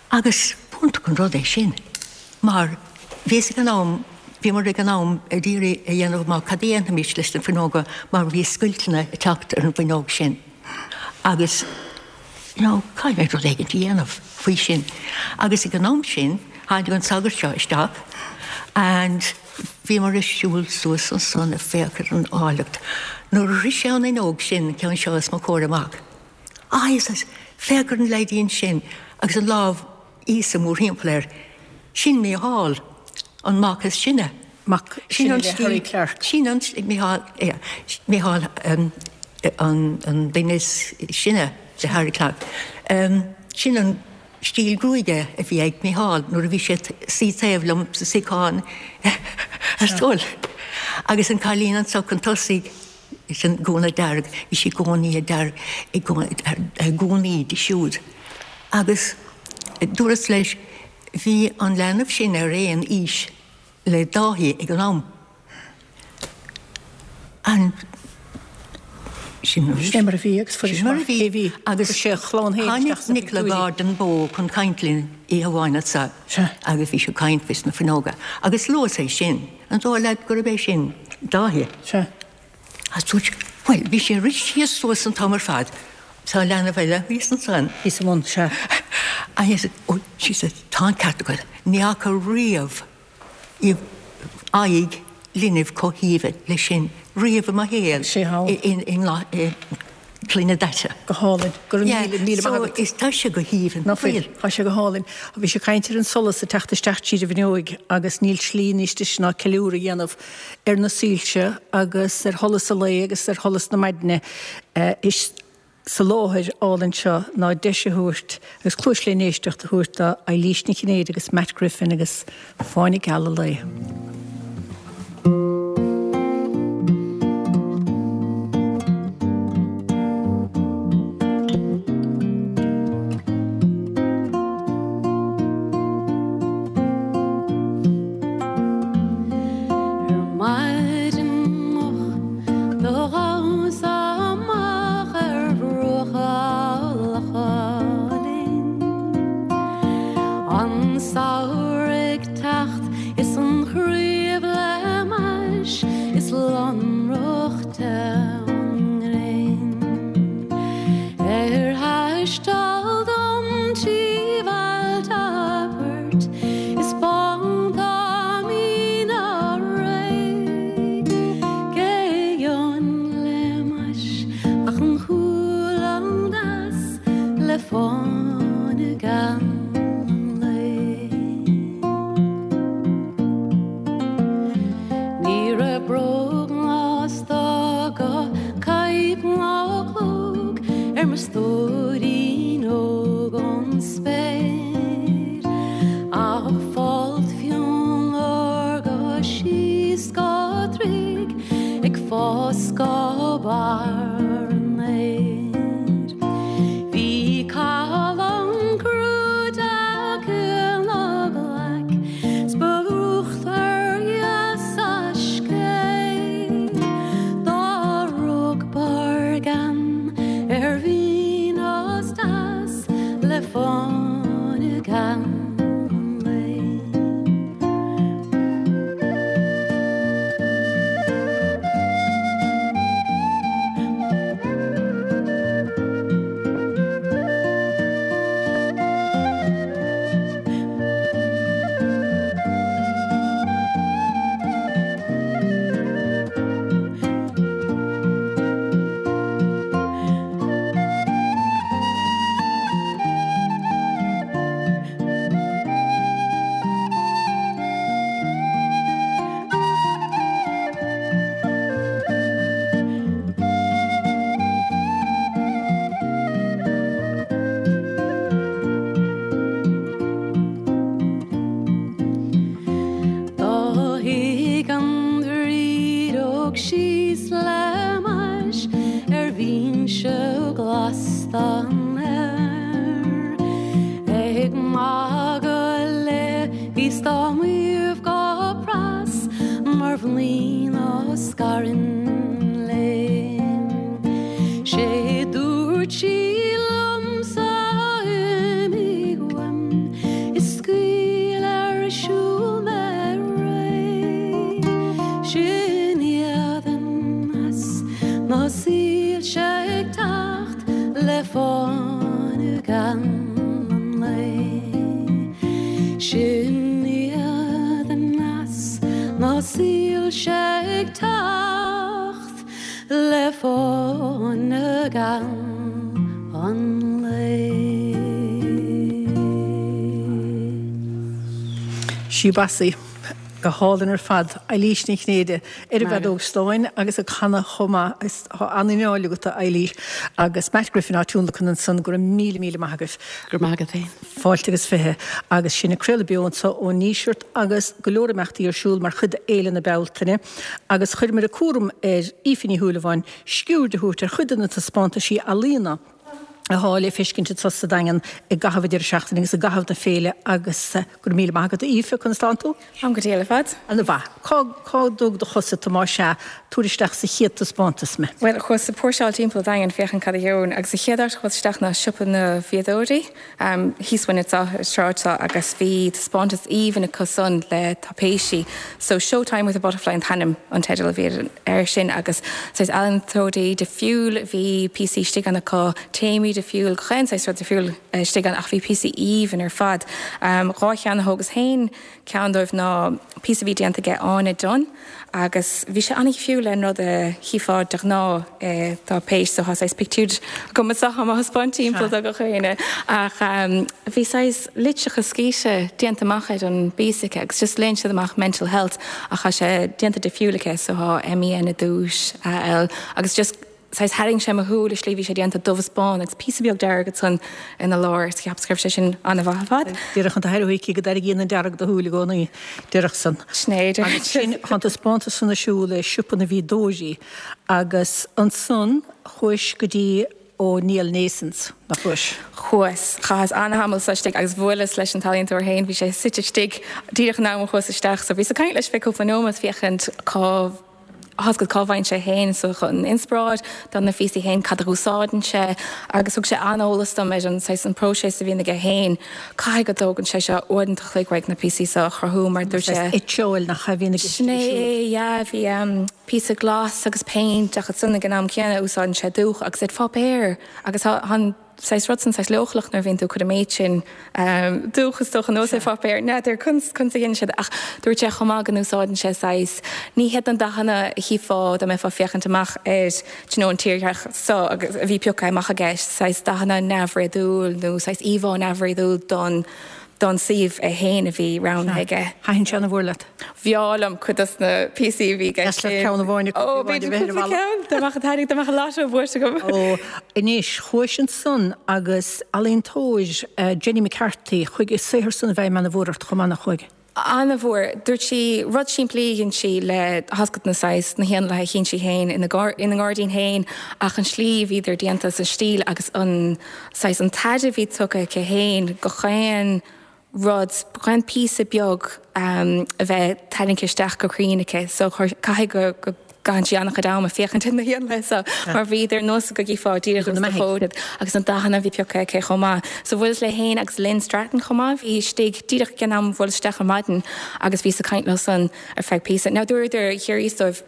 Agus b'iontach an rud é sin mar bhíos ag an am, bhíomar ag an am ag iarraidh a dhéanamh amach cad a dhéanfaimis leis na fuinneoga mar bhí scoilteanna ag teacht ar an bhfuinneog sin agus you know caithfimid rud éigin a dhéanamh faoi sin. Agus ag an am sin tháinig an sagart seo isteach and bhíomar ag siúl suas ansan ag féachaint ar an áilleacht. Nuair a shroich sé an fhuinneog sin, an ceann seo os mo chomhair amach, Ah, he says, féach ar an leaidín sin agus an lámh Íosa mórthimpeall air. Sin Mícheál, an mac is sine. Mac sine le Harry Clarke. Sin an, Mícheál, yeah, Mícheál an, an duine is sine le Harry Clarke. Sin an. stíl gruaige a bhí ag Micheál nuair a bhí sé suí taobh liom sa suíochán ar scoil. Agus an cailín anso chun tosaigh, sin gúna dearg, bhí sí i gcónaí dearg, i gcónaí di siúd. Agus dúras leis, bhí an leanbh sin ar aon aois le Dáithí ag an am. An Sin mar a bhí agus fuair sé amach cé bhí. Agus sé a chlann féin isteach sna pictiúirí. Tháinig Nicola Gordon Bowe chun caint linn oíche amháin anso agus bhí sé ag caint faoi sna fuinneoga agus luas é sin, an dóigh leat gurb é sin Dáithí? Sea. Agus dúirt sé, bhuel, bhí sé ag rith síos suas an t-am ar fad, tá leanbh eile thíos ansan. Thíos i mbun, sea. Agus, oh, she said, tá an ceart agat, ní fhaca riamh aghaidh linbh chomh haoibhinn leis sin riamh i mo shaol Sé thall. i gcloigne daite. Go hálainn. Go raibh míle, míle maith agat. So, is tá sé go haoibhinn. Ná fuil. Tá sé go hálainn. Bhí sé ag caint ar an solas ag teacht isteach tríd an bhfuinneoig agus níl slí níos deise ná ceiliúradh a dhéanamh ar na soilse agus ar sholas an lae agus ar sholas na maidne. Is sa láthair álainn seo ná deis a thabhairt agus cluais le n-éisteacht a thabhairt do Eilís Nic Chinnéide agus Matt Griffin agus Fáinne Geal an Lae. Ar maidin moch do ghabhas amach ar bhruacha Locha Linn. An samhradh ag teacht is an chraobh le m'ais is lonrach te an ghréin. Ar thaisteal dom trí bhailte poirt is bánta míne réidh, cé gheobhainn le m'ais ach an chualann deas le fáinne geal an lae. Ní raibh bróg ná stoca, caidhp ná clóg ar mo stóirín óg ón spéir, ach folt fionn órga síos go troigh ag fás go barr an fhéir. Bhí callán clúiteach ina glaic 's ba uachtar dheas a scéith dá rug barrgean ar mhín is deas le fáinne geal an lae. Do shuigh an bhrídeog síos le m'ais ar bhinse glas den fhéar. Ag magadh léi bhíos dá maíomh go pras mar mhnaoi ná scarann léi. Sé dúirt sí liomsa imigh uaim is scaoil ar siúl mé réidh. Sin iad aneas na soilse ag teacht le fáinne geal an lae. Sin iad aneas na soilse ag teacht le fáinne geal an lae. Sí Basie. Go hálainn ar fad. Eilís Ní Chinnéide ar an bhfeadóg stáin agus ag canadh chomh maith. Is tá an-anáil agat, a Eilís. Agus Matt Griffin á tionlacan ansan. Go raibh míle míle maith agaibh. Go raibh maith agat féin. Fáilte agus 20. Agus sinn ag craoladh beo anso ón nDíseart agus go leor imeachtaí ar siúl mar chuid de Fhéile na Bealtaine. Agus chuireamar an cúram ar Aoife Ní Shúilleabháin sciuird a thabhairt ar chuid de na taispeántaisí ealaíona athá le feiscint anso sa Daingean i gcaitheamh an deireadh seachtaine agus i gcaitheamh na féile agus go raibh míle maith agat a Aoife, conas tánn tú? Táim go diail ar fad. Ana mhaith. Cá, cá dtug do chosa tú más ea? Tabhair isteach sa chéad taispeántas mé. Bhuel, chuas ag póirseáil timpeall an Daingin féachaint cad a gheobhainn agus an chéad áit a chuas isteach ná siopa na bhfíodóirí thíos uainn anseo ar an tsráid seo agus bhí taispeántas aoibhinn acu san le taipéisí so Showtime with a Butterfly an t-ainm, an teideal a bhí air sin agus saghas ealaíontóirí difriúil a bhí píosaí istigh ann acu, téamaí difriúil, chaon saghas rud difriúil istigh ann ach bhí píosaí aoibhinn ar fad. 2 cheann a thógas féin, ceann dóibh ná píosa a bhí déanta aige Áine Dunne agus bhí sé an-dhifriúil le an rud a chífeá de ghnáth i dtáipéis so tá saghas pictiúr agam anseo á thaispeáint timpeall do gach éinne ach bhí saghas litreacha scíte déanta amach ar an bpíosa aici agus just léann siad amach mental health ach tá sé déanta difriúil aici so tá MEN i dtús, AL agus just saghas tharraing sé mo shúil an slí bhí sé déanta dubh is bán agus píosa beag dearg ansan ina lár is cheapas go raibh sé sin an-mhaith ar fad. Déarfadh an t-athair chuici go dtarraingíonn an dearg do shúil i gcónaí, déarfadh san. Sin é, déarfadh Agus sin, tá an taispeántas san ar siúl i siopa na bhfíodóirí agus ansan chuais go dtí O'Neill Nasons, nach chuais? Chuas. Chaitheas an-tamall sa istigh agus bhuaileas leis an t-ealaíontóir féin, bhí sé suite istigh díreach an am a chuas isteach so bhíos ag caint leis feadh cúpla nóiméad féachaint cá thoscaid cá bhfaigheann sé féin so an inspioráid do na phíosaí féin, cad a úsáideann sé agus thug sé an-eolas dom ar an saghas an próiseas a bhíonn aige féin. Caithfidh go dtógann sé seo uaireanta an chloig uaidh na píosaí seo a chruthú mar dúirt sé. Saghas eitseáil nach ea a bhíonn i gceist Sin é é, yeah, bhí píosa glas agus péint ach ansan ag an am céanna úsáideann sé dúch agus ar pháipéar agus tá an saghas rud san saghas leochaileach nuair a bhíonn tú ag cur an méid sin dúch is dócha anuas ar pháipéar. N'fheadar conas conas a dhéanann siad ach dúirt sé chomh maith go n-úsáideann sé saghas ní hiad na dathanna a chífeá dá mbeifeá ag féachaint amach ar do you know an tírdhreach so agus a bhí pioctha amach aige saghas dathanna neamhréadúil nó saghas íomhá neamhréadúil don don suíomh é féin a bhí roghnaithe aige. Thaitin sé ana-mhór leat? Bhreá liom cuid dos na píosaí a bhí i gceist. Deas leat ceann amháin a Ó, b'fhéidir cúpla ceann, dá mbeadh an t-airgead, dá mbeadh an lotto buaite agam. Ó, anois, chuais ansan agus ealaíontóir Jenny McCarthy, chuaigh a saothar san i bhfeidhm ana-mhór ort chomh maith, nach chuaigh? Ana-mhór. Dúirt sí rud simplí a dhein sí le tá a fhios agat na saghas, na héanlaithe a chíonn sí féin ina ngairdín féin ach an slí a bhíodar déanta is an stíl agus an saghas, an t-aire a bhí tugtha aici féin go chaon rud, chaon píosa beag a bheith tarraingthe isteach go cruinn aici so caithfidh go go gcaitheann sí an-chuid ama féachaint ar na héanlaithe so mar bhíodar ar nós go gcífeá díreach os do chomhair iad agus na dathanna a bhí pioctha aici chomh maith. So bhuaileas léi féin agus Lynn Stratton chomh maith, bhí istigh díreach ag an am a bhuaileas isteach ar maidin agus bhíos ag caint leo san ar feadh píosa. Now dúradar, thiar dóibh,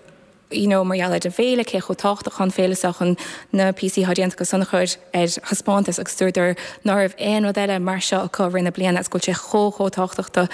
you know mar gheall ar an bhféile, cé chomh tábhachtach atá an féile seo chun na píosaí atá déanta acu san a chur ar thaispeántas agus dúradar ná raibh aon rud eile mar seo acu i rith na bliana agus go bhfuil sé chomh chomh tábhachtach do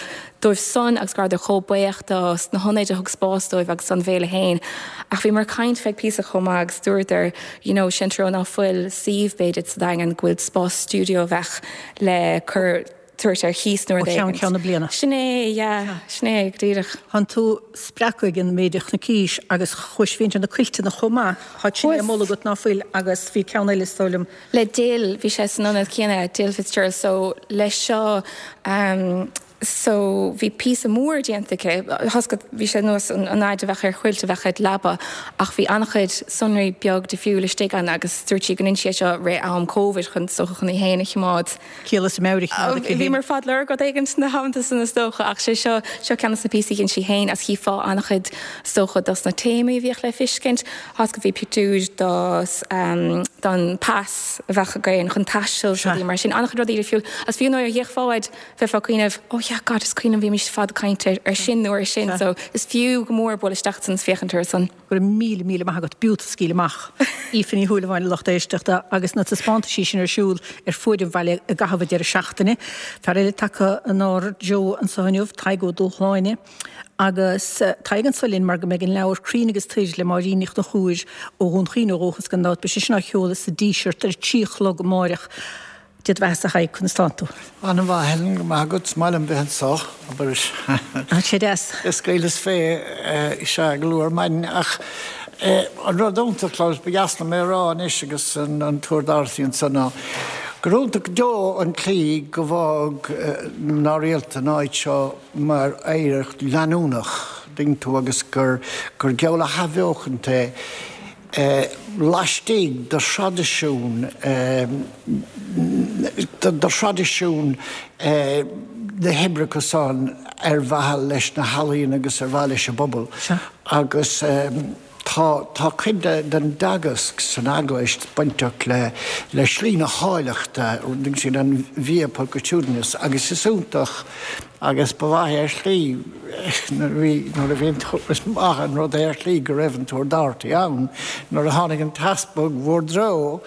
dóibh san agus go rabhadar chomh buíoch do na hionaid a thug spás dóibh agus don bhféile féin. Ach bhíomar ag caint feadh píosa chomh maith agus dúradar you know sin treo ná fuil suíomh b'fhéidir sa Daingean go bhfuil spás stiúideo a bheadh le cur tabhairt ar chíos nó rud éigin. Ó cheann ceann na bliana. Sin é, yeah, sin é, go díreach. Tánn tú spreagtha ag an méid a chonaicís agus chuais féachaint ar na cuilteanna chomh maith. Tá sin le moladh agat ná fuil agus bhí ceann eile is dóigh liom. Le Jill, bhí sé san ionad céanna, Jill Fitzgerald, so leis seo ehm so bhí píosa mór déanta aici, tá a fhios agat bhí sé nós an fhaid a bheadh ar chuilt a bheadh id leaba ach bhí an-chuid sonraí beag difriúil istigh ann agus dúirt sí go ndein sí é seo rith am Covid chun is dócha chun í féin a choimeád Ciall is meabhair a choimeád aici féin. Bhíomar fad lorg rud éigin sna hamanta san is dócha ach sé seo, seo ceann dos na píosaí a dhein sí féin agus chífeá an-chuid is dócha dos na téamaí a bhíodh le fiscint. Tá a fhios agat bhí pictiúir dos, don pas a bheadh againn chun taisteal is rudaí mar sin, an-chuid rudaí difriúil agus fiú nuair a d'fhéachfá air bheifeá ag cuimhneamh oh yeah God is cuimhin liom bhímis fad ag caint ar sin nó ar sin so is fiú go mór bualadh isteach ansan is féachaint orthu san. Go raibh míle, míle maith agat. B'fhiú scaoileadh amach. Aoife Ní Shúilleabháin, a lucht éisteachta, agus na taispeántaisí sin ar siúl ar fuaid an bhaile i gcaitheamh an deireadh seachtaine. Fear eile tagtha inár dtreo anseo inniu, Tadhg Ó Dúshláine. Agus Tadhg anseo linn mar go mbeidh an leabhar Crainn agus Toir le Máirín Ní Chonchúir ó Dhún Chaoin ó dhúchas gan dabht, beidh sé sin á sheoladh sa Díseart ar a 3 a chlog amáireach. Dia do bheathasa a Thaidhg, conas tánn tú? An-mhaith, Helen, go raibh maith agat. Is maith liom bheith anso, abair. Tá sé deas. Ag scaoileadh fé, sea, go luath ar maidin. Ach an rud iontach, Klaus, ba dheas liom é a rá anois agus an tUrr Doherty anso ná gur iontach go deo an tslí go bhfág na mná rialta an áit seo mar oidhreacht leanúnach, dtuigeann tú, agus gur geall le hathbheochaint é. laistigh de thraidisiún de thraidisiún na hoibreacha san ar mhaithe leis na healaíona agus ar mhaithe leis an bpobal agus tá tá cuid den dteagasc san eaglais bainteach le le slí na háilleachta, sin an via pulchritudinis agus is iontach Agus ba mhaith é ar shlí, nuair a bhí, nuair a bhí an t-, is maith an rud é ar shlí go raibh an tUrr Doherty ann nuair a tháinig an t-easpag bhur dtreo,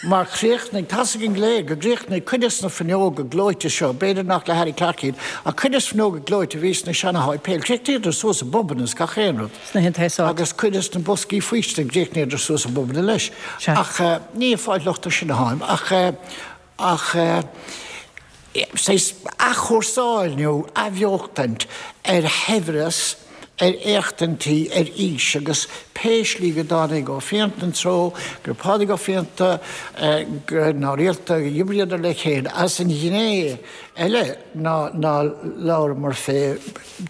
mar chríochnaigh, tá's againn go léir go gcríochnaigh cuid des na fuinneoga gleoite seo, b'fhéidir nach le Harry Clarke iad, ach cuid des fuinneoga gleoite a bhí sna seana-sháipéil, chríochnaíodar suas i bpubanna is gach aon rud. Sna haon áit. Agus cuid des na boscaí faoistine, chríochnaíodar suas i bpubanna leis. Sea. Ach ní ag fáil locht air sin atáim, ach. Ach saghas athchúrsáil nó athbheochtaint ar shaibhreas, ar éachtaintí, ar fhís agus pé slí go dtáinig Ó Fiannachta ina treo, go raibh Pádraig Ó Fiannachta, go mná rialta, d'oibríodar le chéile. Agus an ghné eile ná ná labhramar fé,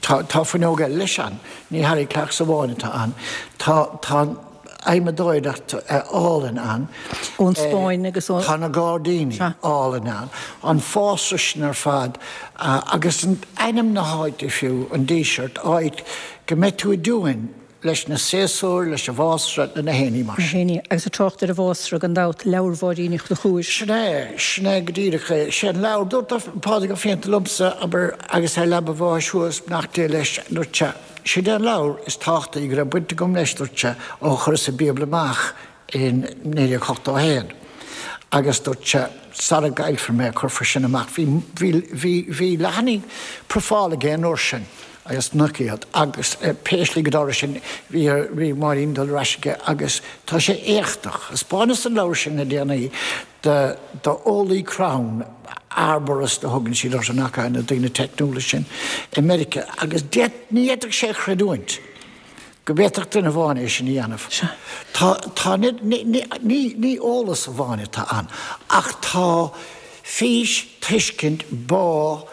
tá tá fuinneog eile leis ann, ní Harry Clarkes amháin atá ann, tá tá an, adhmadóireacht álainn ann. Ón Spáinn agus ó. Tá na gairdíní álainn ann. An fásra sin ar fad agus ainm na háite fiú, an Díseart, áit go mbeidh tú i dtiúin leis na séasúir, leis an bhfásra, le na héinní mar sin. Na héinní. Agus ag trácht ar an bhfásra, gan dabht, leabhar Mháirín Uí Chonchúir. Sin é, sin é go díreach é. Sé an leabhar, dúirt Pádraig Ó Fiannachta liomsa, abair, agus é ar leaba a bháis thuas, beannacht Dé leis, dúirt sé, Sin é an leabhar is tábhachtaí go raibh baint agam leis, dúirt sé, ó chuireas an Bíobla amach in 1981. Agus dúirt sé, sara gcaillfear mé, cuirfear sin amach. Bhí, bhí, bhí, bhí leathanaigh profála aige an uair sin agus nach iad. Agus pé slí go dtarla sin, bhí, bhí Máirín dul ar ais aige agus tá sé éachtach. Thaispeánas an leabhar sin le déanaí do d'eolaí crann, arborist a thugann siad orthu, nach ea, na daoine teicniúla sin i Meiriceá, agus ní fhéadfadh sé a chreidiúint go bhféadfadh duine amháin é sin a dhéanamh. Tá, tá, ní, ní, ní, ní eolas amháin atá ann, ach tá fís, tuiscint, bá,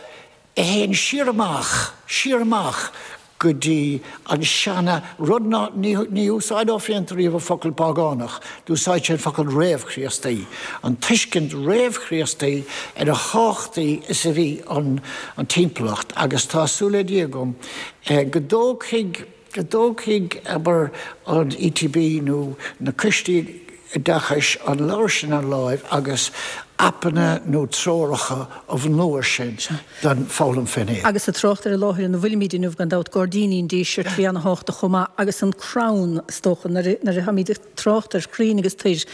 a théann siar amach, siar amach go dtí an seana rud ná, ní, ní úsáid Ó Fiannachta riamh an focal págánach, d'úsáid sé an focal réamh-Chríostaí, an tuiscint réamh-Chríostaí ar a thábhachtaí is a bhí an, an timpeallacht agus tá súil le Dia agam go dtógfaidh, go dtógfaidh, abair, an ETB nó na coistí oideachais an leabhar sin ar láimh agus aipeanna nó treoracha a bhunú air sin don foghlaim fén aer. Agus ag trácht ar an láthair ina bhfuilimid inniu, gan dabht, Gairdíní an Dísirt, bhí ana-thábhachtach chomh maith, agus an crann, is dócha, nuair a táimid ag trácht ar chrainn agus toir,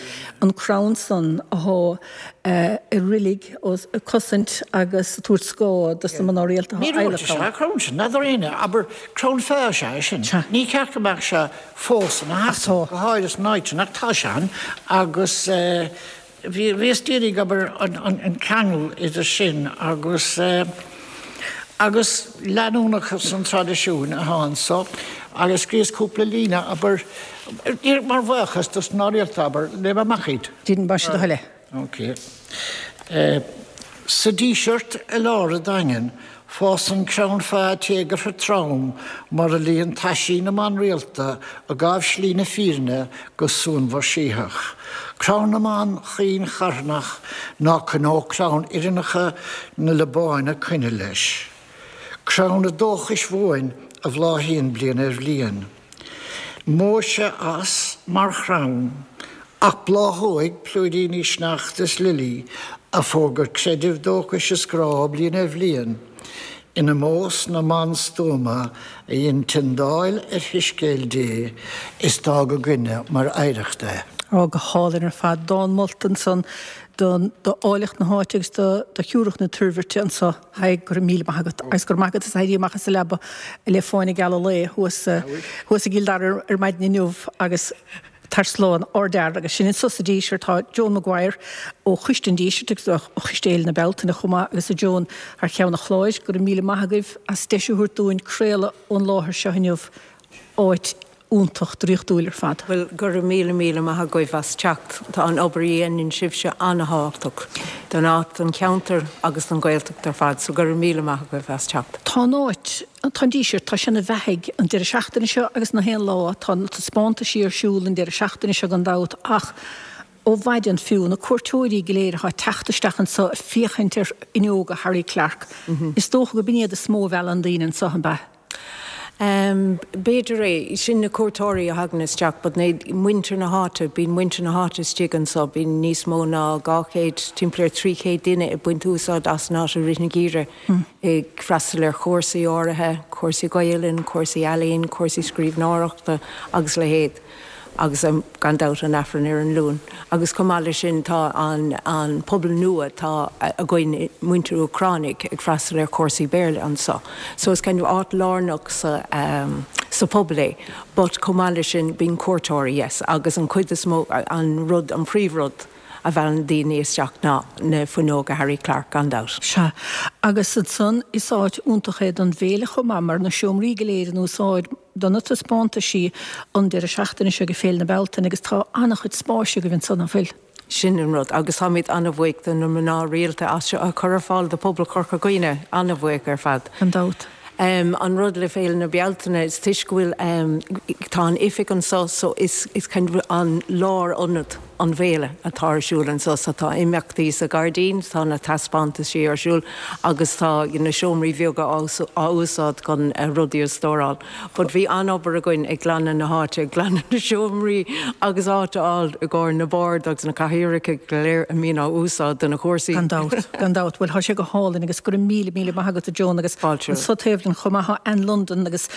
an crann san athá i roilig ag cosaint agus ag tabhairt scáth dos na mná rialta athá Ní adhlactha ann. An crann sin, n'fheadar éinne, abair, crann feá is ea é sin. Ní ceart go mbeadh sé fós ina sheasamh, go háirithe san áit sin, ach tá sé ann agus bhíos d'iarraidh, abair, an ceangal idir sin agus agus leanúnachas an traidisiúin atá anso agus scríos cúpla líne, abair, mar bhuíochas dos na mná rialta, abair, léigh mé amach iad. Déan más é do thoil é. Ok. Sa Díseart i lár an Daingin, fásann crann feá téagartha trom mar a luíonn taisí na mban rialta a gabh slí na fírinne go suanmhar sítheach. Crann na mban chaoin charthanach ná coinneodh clann fhireannacha na Liobáine coinne leis. Crann an dóchais bhuain a bhláthaíonn bliain ar bhliain. Imeoidh sé as mar chrann, ach bláthóidh plúiríní sneachta is lilí a fógairt creidimh, dóchais is grá bliain ar bhliain, in omós na mban stuama a dhein tiondáil ar shoiscéal Dé is d'fhág againne mar oidhreacht é. Á, go hálainn ar fad. Dán molta ansan don, d'áilleacht na háite agus do, do shiúracht na toirbhirte anso. Thaidhg, go raibh míle maith agat. Agus go raibh maith agat as éirí amach as an leaba le fáinne geal an lae thuas, thuas i gCill Dara ar maidin inniu agus. Tar slán, ardfhear agus sin anso sa Díseart tá Joan Maguire ó Choiste an Dísirt agus ó Choiste Fhéile na Bealtaine chomh maith agus a Joan thar cheann an chláir. Go raibh míle maith agaibh as deis a thabhairt dúinn craoladh ón láthair seo inniu, áit iontach draíochtúil ar fad. Bhuel, go raibh míle míle maith agaibh as teacht. Tá an obair a dhéanann sibhse an-thábhachtach don áit, don cheantar agus don Ghaeltacht ar fad, so go raibh míle maith agaibh as teacht. Tá an áit, tá an Díseart, tá sé ina bheathaidh an deireadh seachtaine seo agus na haon lá. Tá na taispeántaisí ar siúl an deireadh seachtaine seo gan dabht ach ó mhaidin fiú, na cuairteoirí go léir atá ag teacht isteach anso ag féachaint ar fhuinneoga Harry Clarke, is dócha go b'in iad is mó a mheallann daoine anso, an b'ea? B'fhéidir é. Sin na cuairteoirí a thagann isteach but na, muintir na háite, bíonn muintir na háite istigh anso, bíonn níos mó ná 200, timpeall ar 300 duine ag baint úsáid as an áit i rith an gheimhridh, ag freastal ar chúrsaí áirithe, cúrsaí Gaelainn, cúrsaí ealaíon, cúrsaí scríbhneoireachta agus a leithéid. agus gan dabht an Aifreann ar an Luan. Agus chomh maith leis sin tá an an pobal nua atá againn, muintir Úcránaigh ag freastal ar chúrsaí Béarla anso. So is kind of áit lárnach sa sa phobal é. But chomh maith leis sin bíonn cuairteoirí, yes, agus an chuid is mó, an rud, an príomhrud a mheallann daoine isteach ná na fuinneoga Harry Clarke, gan dabht. Sea. Agus ansan is áit iontach é don bhféile chomh maith mar na seomraí go léir in úsáid do na taispeántaisí an deireadh seachtaine seo ag Féile na Bealtaine agus tá an-chuid spáis agaibh ansan, nach bhfuil? Sin an rud. Agus táimid an-bhuíoch do na mná rialta as seo a chur ar fáil do phobal Chorca Dhuibhne. An-bhuíoch ar fad. Gan dabht. An rud le Féile na Bealtaine is toisc go bhfuil, tá an oifig anso so is is kind of an lárionad an bhféile atá ar siúl anso so tá imeachtaí sa ghairdín, tá na taispeántaisí ar siúl agus tá na seomraí beaga á úsáid chun rudaí a stóráil. But bhí an-obair againn ag glanadh na háite, ag glanadh na seomraí agus áit a fháil i gcomhair na bord agus na cathaoireacha go léir a mbíonn á úsáid do na cúrsaí. Gan dabht, gan dabht. Bhuel, tá sé go hálainn agus go raibh míle, míle maith agat a Joan agus Fáilte. anso taobh linn chomh maith tá Anne London agus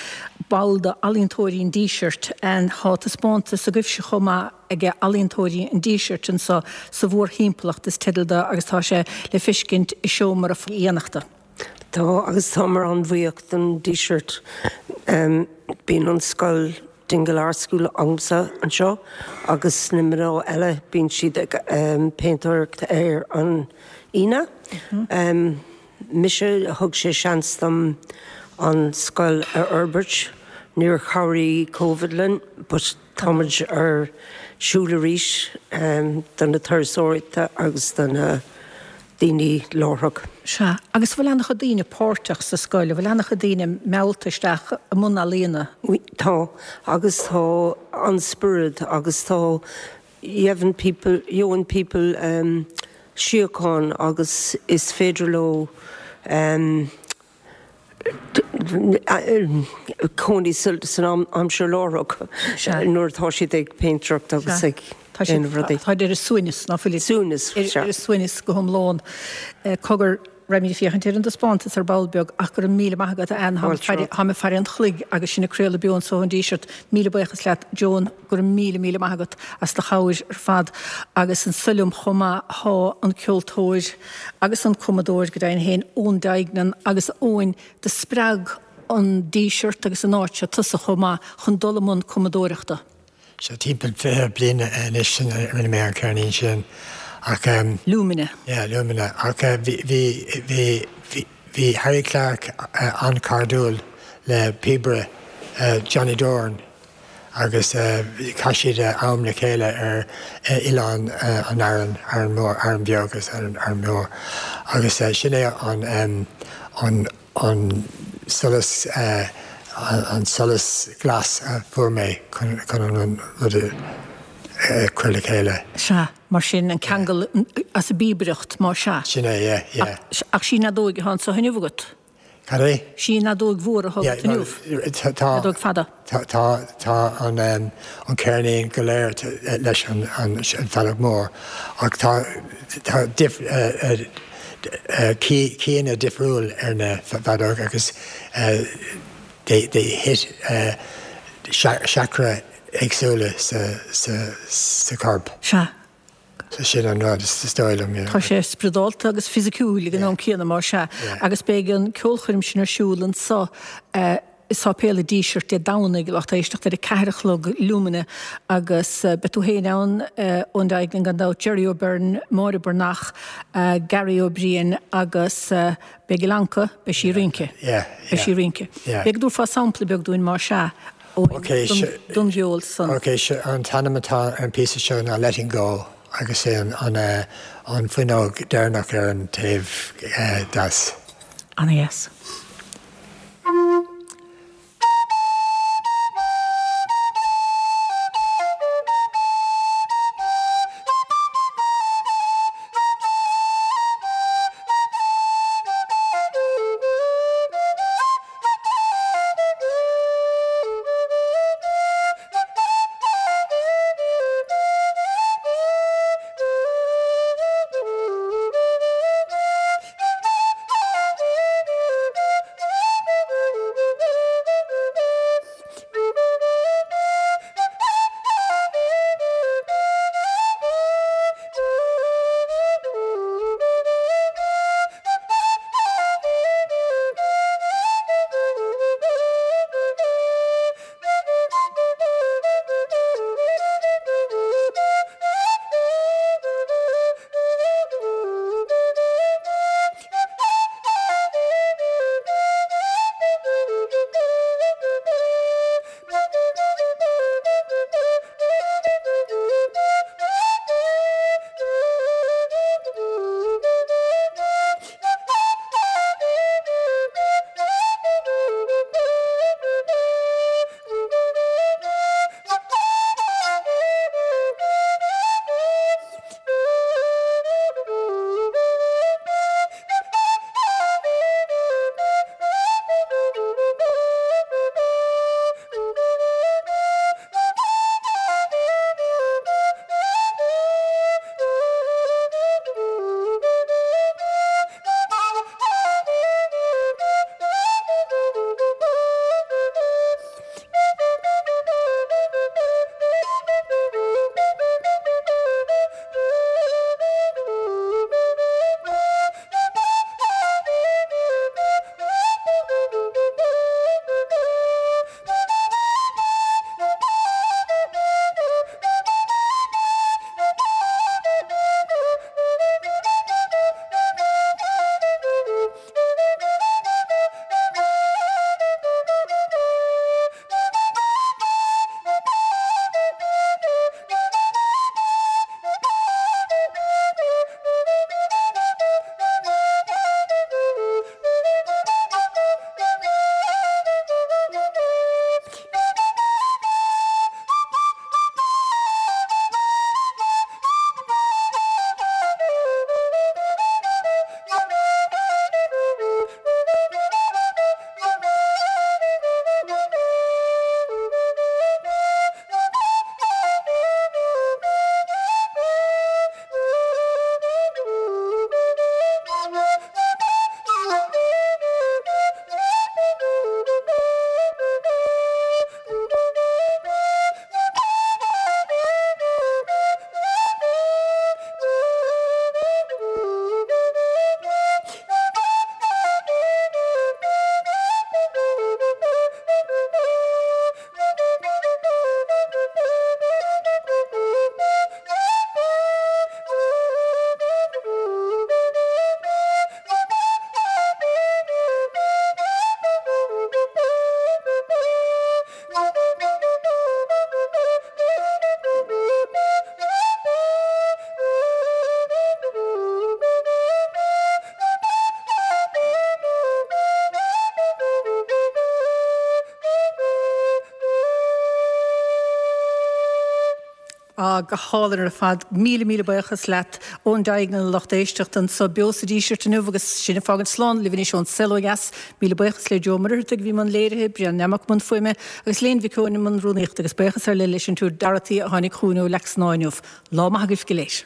ball d'Ealaíontóirí an Dísirt. Anne, tá taispeántas agaibhse chomh maith ag Ealaíontóirí an Dísirt anso sa mhórthimpeallacht is teideal do agus tá sé le feiscint i seomra aíonnachta. Tá, agus táimid an-bhuíoch don Díseart. Bíonn an scoil, Dingle Art School, agamsa anseo agus na mná eile, bíonn siad ag péintéireacht ar an Aoine. Mise, thug sé seans dom an scoil a fhorbairt. Níor chabhraigh Covid linn but táimid ar siúl arís do na turasóirí agus do na daoine láithreach. Sea. Agus an bhfuil an-chuid daoine páirteach sa scoil? An bhfuil an-chuid daoine meallta isteach i mbun ealaíona? Tá. Agus tá an-spiorad agus tá gheibheann people, gheobhann people síocháin agus is féidir leo cónaí san aimsir láithreach nuair atá siad ag péintéireacht agus ag déanamh rudaí. Tá ar a suaimhneas, ná fuil? Suaimhneas, sea. Ar a suaimhneas go hiomlán. Cogar, raghaimid ag féachaint ar an dtaispeántas ar ball beag ach go raibh míle maith agat, a Anne. Táim ag faire an chloig agus sinn ag craoladh beo anso ón Díseart. Míle buíochas leat, Joan. Go raibh míle, míle maith agat as do chabhair ar fad agus anso liom chomh maith thá an ceoltóir agus an cumadóir, go deimhin féin, Eoin Duignan agus Eoin, do spreag an Díseart agus an áit seo tusa chomh maith chun dul i mbun cumadóireachta. Sea, timpeall 20 bliain anois sin a rinne mé an ceirnín sin ach. Lumina. Yeah, Lumina. Ach bhí, bhí, bhí, bhí. Bhí Harry Clarke an-chairdiúil le píobaire Johnny Doran agus chaith siad am le chéile ar Oileán an Árann, Árainn Mhór, Árainn Bheag agus Árainn Mhór agus sin é an an solas an solas glas a fuair mé chun an rud a chur le chéile. Sea. Mar sin, an ceangal as an bpíobaireacht, más ea. Sin é, yeah, yeah. Ach sí an fheadóig atá anso inniu agat? Cad é? Sí an fheadóig mhór atá agat inniu? Yeah, tá. Feadóg fada. Tá, tá, tá an, an ceirnín go léir leis an, an feadóg mór ach tá, tá dif, key-anna difriúil ar na feadóg agus they, they hit chakra éagsúla sa chorp. Sea. Sin an rud, is dóigh liom, yeah. Tá sé spioradálta agus fisiciúil ag an am céanna, más ea. Agus beidh an ceolchoirm sin ar siúl anso. I Sáipéal an Dísirt Dé Domhnaigh, lucht éisteachta, ar a 4 a chlog, Lumina, agus beidh tú féin ann, Eoin Duignan gan dabht, Jerry O'Byrne, Máire Breathnach, Gary Ó Briain agus beidh Ilonka, beidh sí ag rince. Beidh sí ag rince. B'fhéidir go dtabharfá sampla beag dúinn más ea, Eoin, don gceol san. Ok, an t-ainm atá ar an píosa seo ná Letting Go agus é an fuinneog deireanach ar an taobh deas. Ana-dheas. Á, go hálainn ar fad. Míle, míle buíochas leat Eoin Duignan, a lucht éisteachta anseo beo sa Díseart inniu agus sinn ag fágaint slán libh anois ón Saol Ó Dheas. Míle buíochas le Joe Ó Muircheartaigh a bhí i mbun léirithe, Brian Nammock i mbun fuaime agus Léan Mhic Eoin i mbun rúnaíochta agus buíochas ar leith leis an tSiúr Dorothy a tháinig chugainn ó Leac Snámha inniu. Lá maith agaibh go léir.